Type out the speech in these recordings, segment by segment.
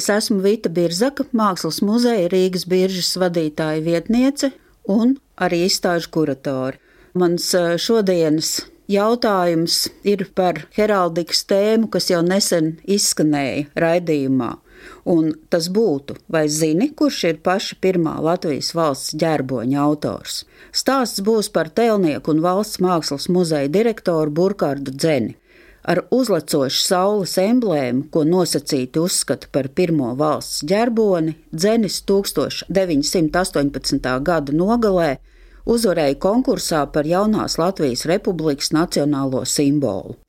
Es esmu Vita Birzaka, Mākslas muzeja Rīgas Biržas vadītāja vietniece un arī izstāžu kuratore. Mans šodienas jautājums ir par heraldikas tēmu, kas jau nesen izskanēja raidījumā. Un tas būtu, vai zini, kurš ir paša pirmā Latvijas valsts ģerboņa autors? Stāsts būs par tēlnieku un valsts mākslas muzeja direktoru Burkardu Dzeni. Ar uzlecošu saules emblēmu, ko nosacīti uzskata par pirmo valsts ģerboni, Dzenis 1918. gada nogalē uzvarēja konkursā par jaunās Latvijas Republikas nacionālo simbolu.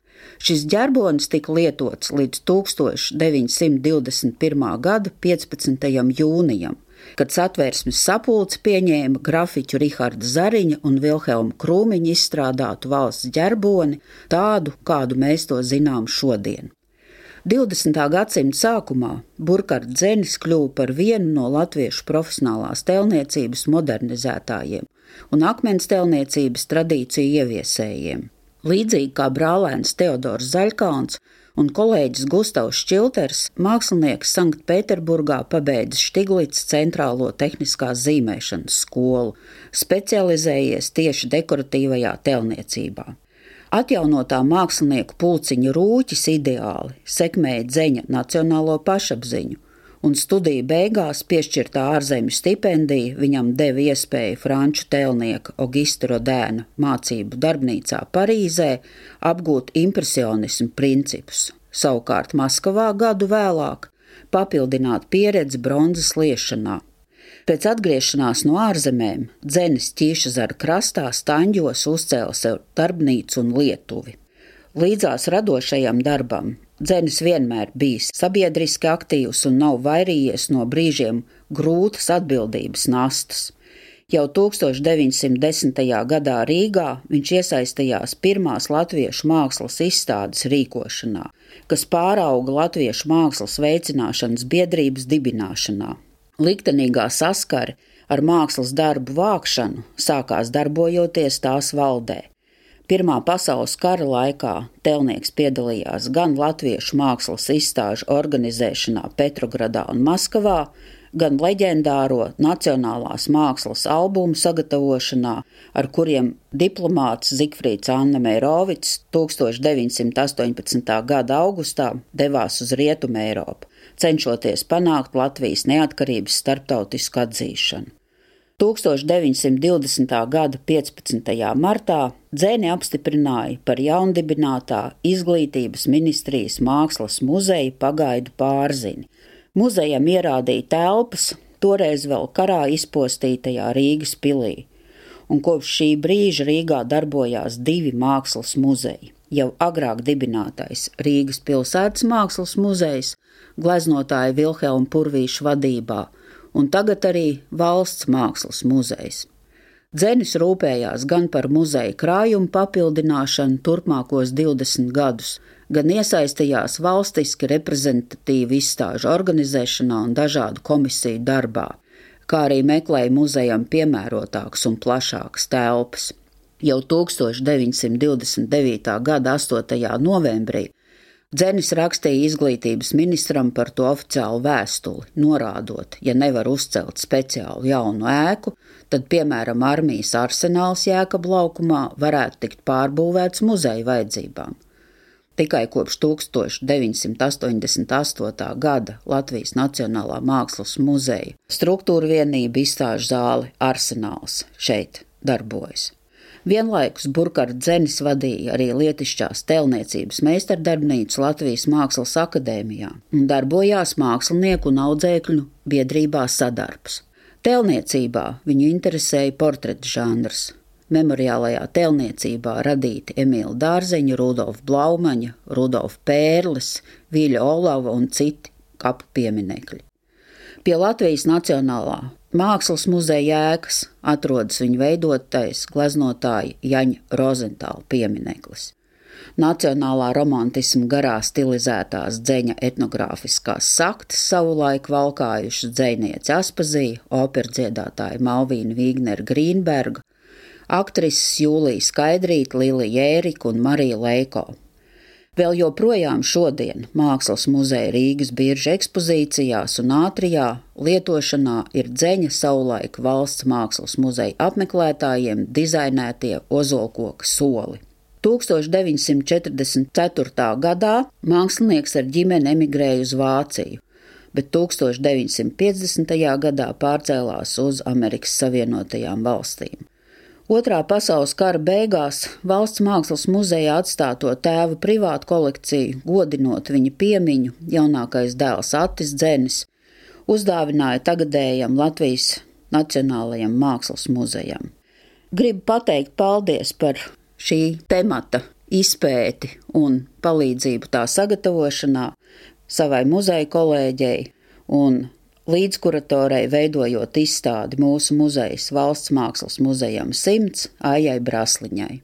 Šis ģerbonis tika lietots līdz 1921. gada 15. jūnijam, kad Satversmes sapulce pieņēma grafiķu Riharda Zariņa un Vilhelma Krūmiņa izstrādātu valsts ģerboni, tādu, kādu mēs to zinām šodien. 20. gadsimta sākumā Burkards Dzenis kļuva par vienu no latviešu profesionālās tēlniecības modernizētājiem un akmens tēlniecības tradīciju ieviesējiem. Līdzīgi kā brālēns Teodors Zaļkalns un kolēģis Gustavs Šķilters, mākslinieks Sanktpēterburgā pabeidza Štiglits centrālo tehniskās zīmēšanas skolu, specializējies tieši dekoratīvajā tēlniecībā. Atjaunotā mākslinieku pulciņa rūķis ideāli sekmēja Dzeņa nacionālo pašapziņu, un studiju beigās piešķirtā ārzemju stipendija viņam deva iespēju franču tēlnieka Augusta Rodēna mācību darbnīcā Parīzē apgūt impresionismu principus, savukārt Maskavā gadu vēlāk papildināt pieredzi bronzas liešanā. Pēc atgriešanās no ārzemēm Dzenis Ķīšezara krastā Staņģos uzcēla sev darbnīcu un lietuvi. Līdzās radošajam darbam Dzenis vienmēr bijis sabiedriski aktīvs un nav vairījies no brīžiem grūtas atbildības nastas. Jau 1910. gadā Rīgā viņš iesaistījās pirmās latviešu mākslas izstādes rīkošanā, kas pārauga Latviešu mākslas veicināšanas biedrības dibināšanā. Liktenīgā saskare ar mākslas darbu vākšanu sākās darbojoties tās valdē. Pirmā pasaules kara laikā tēlnieks piedalījās gan latviešu mākslas izstāžu organizēšanā Petrogradā un Maskavā, gan leģendāro nacionālās mākslas albumu sagatavošanā, ar kuriem diplomāts Zigfrīds Annemeirovics 1918. gada augustā devās uz Rietumu Eiropu, cenšoties panākt Latvijas neatkarības starptautisku atzīšanu. 1920. gada 15. martā Dzeni apstiprināja par jaundibinātā Izglītības ministrijas mākslas muzeja pagaidu pārzini. Muzejam ierādīja telpas, toreiz vēl karā izpostītajā Rīgas pilī, un kopš šī brīža Rīgā darbojās 2 mākslas muzeji. Jau agrāk dibinātais Rīgas pilsētas mākslas muzejs, gleznotāja Vilhelma Purvīša vadībā, un tagad arī valsts mākslas muzejs. Dzenis rūpējās gan par muzeja krājumu papildināšanu turpmākos 20 gadus, gan iesaistījās valstiski reprezentatīvu izstāžu organizēšanā un dažādu komisiju darbā, kā arī meklēja muzejam piemērotākas un plašākas telpas. Jau 1929. gada 8. novembrī Dzenis rakstīja izglītības ministram par to oficiālu vēstuli, norādot, ja nevar uzcelt speciālu jaunu ēku, tad, piemēram, armijas arsenāls Jēkabu laukumā varētu tikt pārbūvēts muzeja vajadzībām. Tikai kopš 1988. gada Latvijas Nacionālā mākslas muzeja struktūra vienība izstāžu zāli Arsenāls šeit darbojas. Vienlaikus Burkards Dzenis vadīja arī lietišķās tēlniecības meistardarbnīcu Latvijas Mākslas akadēmijā un darbojās mākslinieku un audzēkļu biedrībā Sadarbs. Tēlniecībā viņu interesēja portreta žanrs. Memoriālajā tēlniecībā radīti Emīla Dārzeņa, Rudolfa Blaumaņa, Rudolfa Pērles, Viļa Olava un citi kapu pieminekļi. Pie Latvijas Nacionālā mākslas muzeja ēkas atrodas viņa veidotais gleznotāja Jaņa Rozentāla piemineklis. Nacionālā romantisma garā stilizētās Dzeņa etnogrāfiskās saktas savulaik valkājušas dzejniece Aspazija, operdziedātāja Malvīna Vīgnera Grīnberga, aktrises Jūlija Skaidrīte, Lilija Ērika un Marija Leiko. Vēl joprojām šodien Mākslas muzeja Rīgas birža ekspozīcijās un ātrijā lietošanā ir Dzeņa savulaik Valsts mākslas muzeja apmeklētājiem dizainētie ozolkoka soli. 1944. gadā mākslinieks ar ģimeni emigrēja uz Vāciju, bet 1950. gadā pārcēlās uz Amerikas Savienotajām valstīm. Otrā pasaules kara beigās Valsts mākslas muzejā atstāto tēva privātu kolekciju, godinot viņa piemiņu, jaunākais dēls Attis Dzenis uzdāvināja tagadējam Latvijas Nacionālajam mākslas muzejam. Gribu pateikt paldies par šī temata izpēti un palīdzību tā sagatavošanā savai muzeja kolēģei un līdzkuratorei veidojot izstādi mūsu muzejas Valsts mākslas muzejam 100 Aijai Brasliņai.